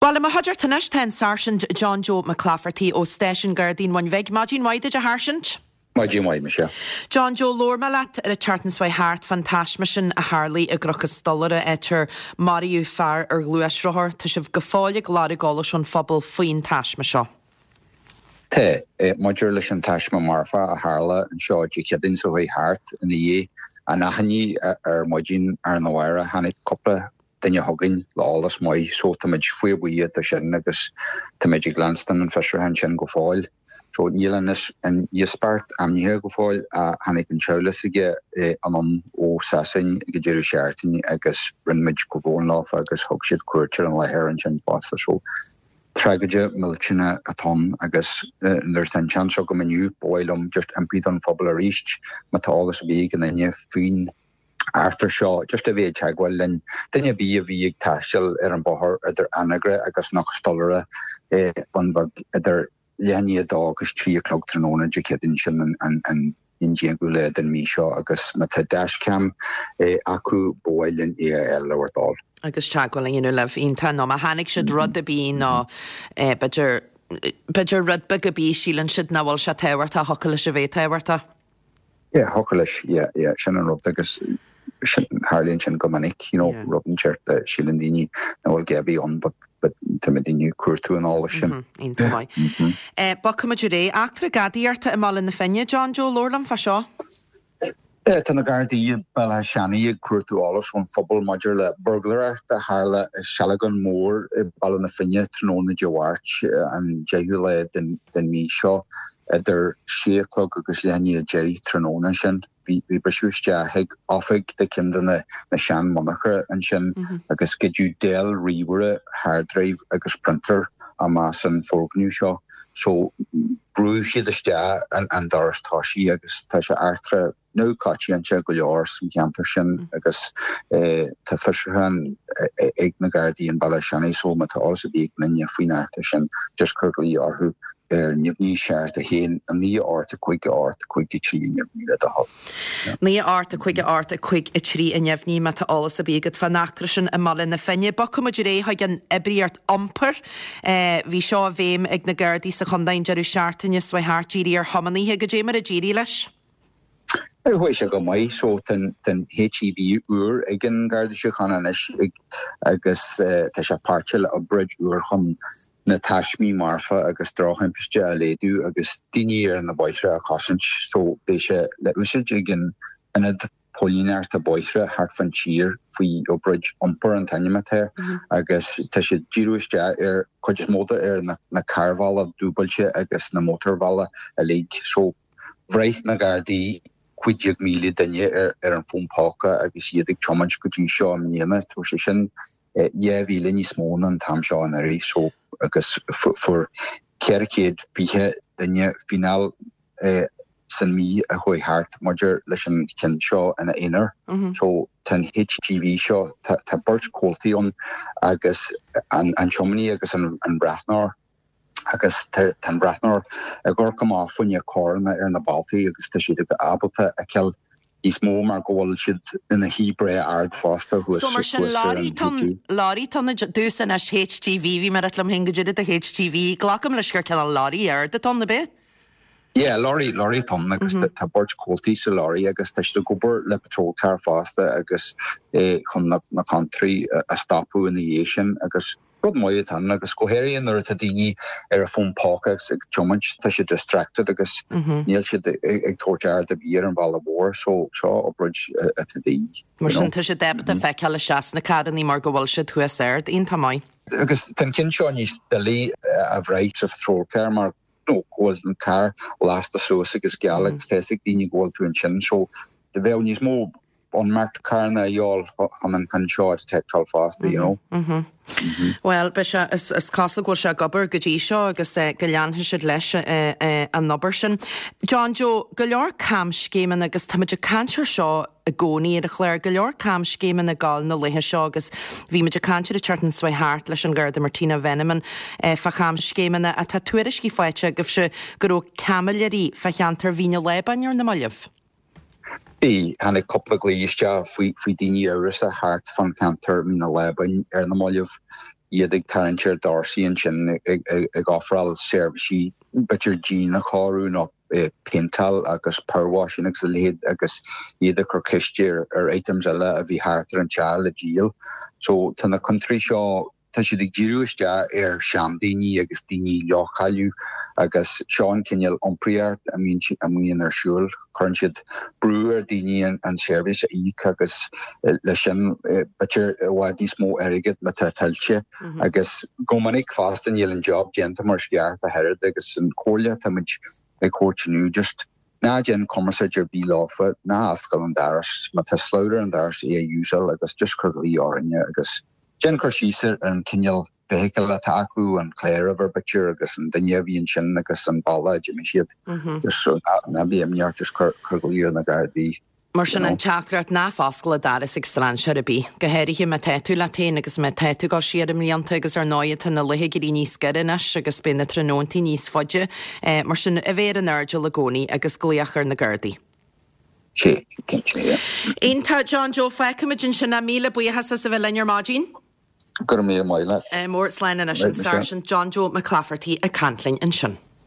Bhuel, i mo chuideachta anois tá an Sáirsint John Joe Mac Laifeartaigh ó Stáisiún Gardaí an Bhun Bhig. Maidin mhaith duit, a Sháirsint. Maidin mhaith, Michelle. John Joe, labhair mé leat ar an tseachtain seo thart fán taisme sin a tharlaigh i gCnoc an Stolaire, áit ar maraíodh fear ar ghluaisrothar. Tá sibh go fóill ag lorg eolais ón phobal faoin taisme seo. Tá. Maidir leis an taisme marfach a tharla anseo Dé Céadaoin seo chuaigh thart, ina dhiaidh an achainí ar maidin arna mhárach, tháinig cúpla duine chugainn le eolas maith so táimid fíorbhuíoch de sin agus táimid ag leanstan an fiosrúchán sin go fóill. So níl an íospartach ainmnithe go fóill ach tháinig an teaghlach s'aige anonn ó Sasain ag an deireadh seachtaine agus rinne muid comhbhrón leofa agus thug siad cuairt ar an láthair ansin fosta. So tragóid millteanach atá ann agus nuair atá an seans agam inniu ba mhaith liom just impí don phobal arís má tá eolas ar bith ag aon duine faoin eachtra seo, just a bheith ag teagmháil linn. Duine ar bith a bhí ag taisteal ar an bóthar idir Anagaire agus Cnoc an Stolaire, Bun Bheag, idir leath i ndiaidh a dó agus 3 a chlog tráthnóna Dé Céadaoin, sin an 11ú lá den mhí seo, agus má tá dashcam acu, ba mhaith linn é a fháil le bhur dtoil. Agus teagmháil a dhéanamh libh. Iontach. Nó má chonaic siad rud ar bith nó b'fhéidir, b'fhéidir rud beag ar bith, síleann siad nach bhfuil sé tábhachtach, thiocfadh leis a bheith tábhachtach. Yeah, thiocfadh leis, yeah, yeah, sin an rud agus sin, tharlaíonn sin go minic, you know, Yeah. rud inteacht a síleann daoine nach bhfuil a dhath ar bith ann but, but tá muidinne ag cuartú an eolais sin. Mhm, iontach maith. Mhm. Eh, bogfaimid ar aghaidh. Eachtra gadaíochta i mBaile na Finne, John Joe, labhair liom fá seo. Yeah, tá na Gardaí i Béal Átha Seanaidh ag cuartú eolais ón phobal maidir le burglaireacht a tharla i Sealgán Mór i Baile na Finne tráthnóna Dé Mháirt, an 10ú lá den den mhí seo. Idir sé a chlog agus leath i ndiaidh 10 tráthnóna sin, bhí briseadh isteach chuig oifig de cheann de na sean-mhonarcha ansin agus goideadh Dell ríomhaire, hard drive agus printer amach as an foirgneamh seo. So, brúdh siad isteach an doras tosaigh agus tá sé eachtra neamhchoitianta go leor san cheantar sin agus tá fiosrúchán ag na Gardaí in Béal Átha Seanaidh so má tá eolas ar bith ag aon duine faoin eachtra sin just cuir glao orthu ar neamhní 7 1 9 8 5 8 5 3 neamhní le do thoil. 9 8 5 8 5 3 a neamhní má tá eolas ar bith agat fán eachtra sin i mBaile na Finne. Bogfaidh muid ar aghaidh chuig an oibríocht iompair. Bhí seo i bhfeidhm ag na Gardaí sa chontae an deireadh seachtaine seo thart, dírithe ar thiománaithe. Goidé mar a d'éirigh leis? Chuaigh sé go maith. So tá an HGV úr ag an Garda Síochána anois agus tá sé páirteach le obráid úr chun na taismí marfa agus drochthimpiste a laghdú agus daoine ar na bóithre a chosaint. So beidh sé le úsáid ag an Ionad Póilíneachta Bóithre thart fán tír faoi Obráid Iompair an t-ainm atá air agus tá sé ag díriú isteach ar chuid is mó de ar na carrbhealaigh dúbailte agus na mótarbhealaigh uilig. So Bhraith na Gardaí 15,000 duine ar an bhfón póca agus iad ag tiomáint go dtí seo i mbliana. Tá sé sin 2,000 níos mó ná an t-am seo anuraidh so agus fuair 420 duine fíneáil san mí a chuaigh thart maidir leis an cheann seo ina aonar. So tá an HGV seo, tá beirt chomhaltaí ann agus an tiománaí agus an breathnóir. agus tá an breathnóir ag amharc amach fá choinne carranna ar na bealtaí agus tá siad ábalta a fheiceáil níos mó mar go bhfuil siad ina shuí breá ard fosta thuas So mar sin thuas ar an lorry lorry atá ann domhsa anois HGV bhí mé ag rá liom féin goidé do HGV glacaim leis gur cineál lorry ard atá ann ab ea? Yeah, lorry lorry atá ann agus tá beirt chomhaltaí sa lorry agus tá siad ag obair le patrol car fosta agus chun na na contúirtí a stopadh ina dhiaidh sin agus Rud maith atá ann agus go háirithe nuair atá daoine ar a bhfón póca agus ag tiomáint, tá siad distracted agus níl siad ag tabhairt aird ar bith ar an bhealach mhór so seo obráid atá de dhíth. Mar sin tá siad ábalta feiceáil isteach sna carrannaí mar go bhfuil siad thuas ard. Iontach maith. Agus tá an ceann seo níos doiligh a bhraith sa phatrol car mar go bhfuil an carr lasta suas agus geal agus tá fhios ag daoine go bhfuil tú ansin so bheadh níos mó unmarked carranna a dhíobháil chun an ceann seo a detectáil fosta, you know. Bhuel, beidh sé, is, is cosúil go bhfuil sé ag obair go dtí seo agus go leanfaidh siad leis an obair sin. John Joe, go leor camscéimeanna agus táimid ag caint ar seo i gcónaí ar an chlár, go leor camscéimeanna ag gabháil na laethe seo agus bhí muid ag caint ar an tseachtain seo thart leis an Gharda Martina Veneman fá chamscéimeanna ach tá tuairiscí faighte agaibhse go raibh caimiléirí fá cheantar Mhín an Lábáin ar na mallaibh. Bhí. Tháinig cúpla glao isteach faoi faoi daoine amhrasach thart fán cheantar Mín an Lábáin ar na mallaibh. iad ag tarraingt ar dhoirse ansin ag ofráil seirbhísí b'fhéidir díon a chóiriú nó péinteáil agus power washing agus a leithéid agus iad ag cur ceiste ar items eile a bhí thart ar an teach le díol. So tá na cointóirí seo, tá siad ag díriú isteach ar seandaoine agus daoine leochaileach agus seo an cineál iompraíocht a mbíonn ar siúl. Cuireann siad brú ar daoine an seirbhís a íoc agus leis sin b'fhéidir i bhfad níos mó airgid má tá tuillte agus go minic fosta níl an job déanta mar is ceart ach oiread agus an chomhairle atá muid ag thabhairt inniu just ná déan cumarsáid ar bith leofa, ná oscail an doras, má tá slabhra ar an doras é a úsáil agus just cuir glaoch orainne agus déan cur síos ar an cineál feithicil atá acu, an cláruimhir b'fhéidir agus an duine a bhí ansin agus an bealach a d'imigh siad. Just so ná bí imníoch, just cuir glaoch ar na Gardaí. Mar sin an teachtaireacht, ná foscail an doras ag strainséir ar bith, go háirithe má tá tú leat féin agus má tá tú ag dul siar i mblianta agus ar ndóigh tá na laetha ag éirí níos giorra anois agus beidh na tráthnóntaí níos faide. Mar sin, a bheith ar an airdeall i gcónaí agus glaoch ar na Gardaí. Sea, cinnte, yeah. Iontach, John Joe, fágfaimid ansin é. Míle buíochas as a bheith linn ar maidin. Go raibh míle maith leat. Mór, slán anois, an Sáirsint John Joe Mac Laifeartaigh ag caint linn ansin.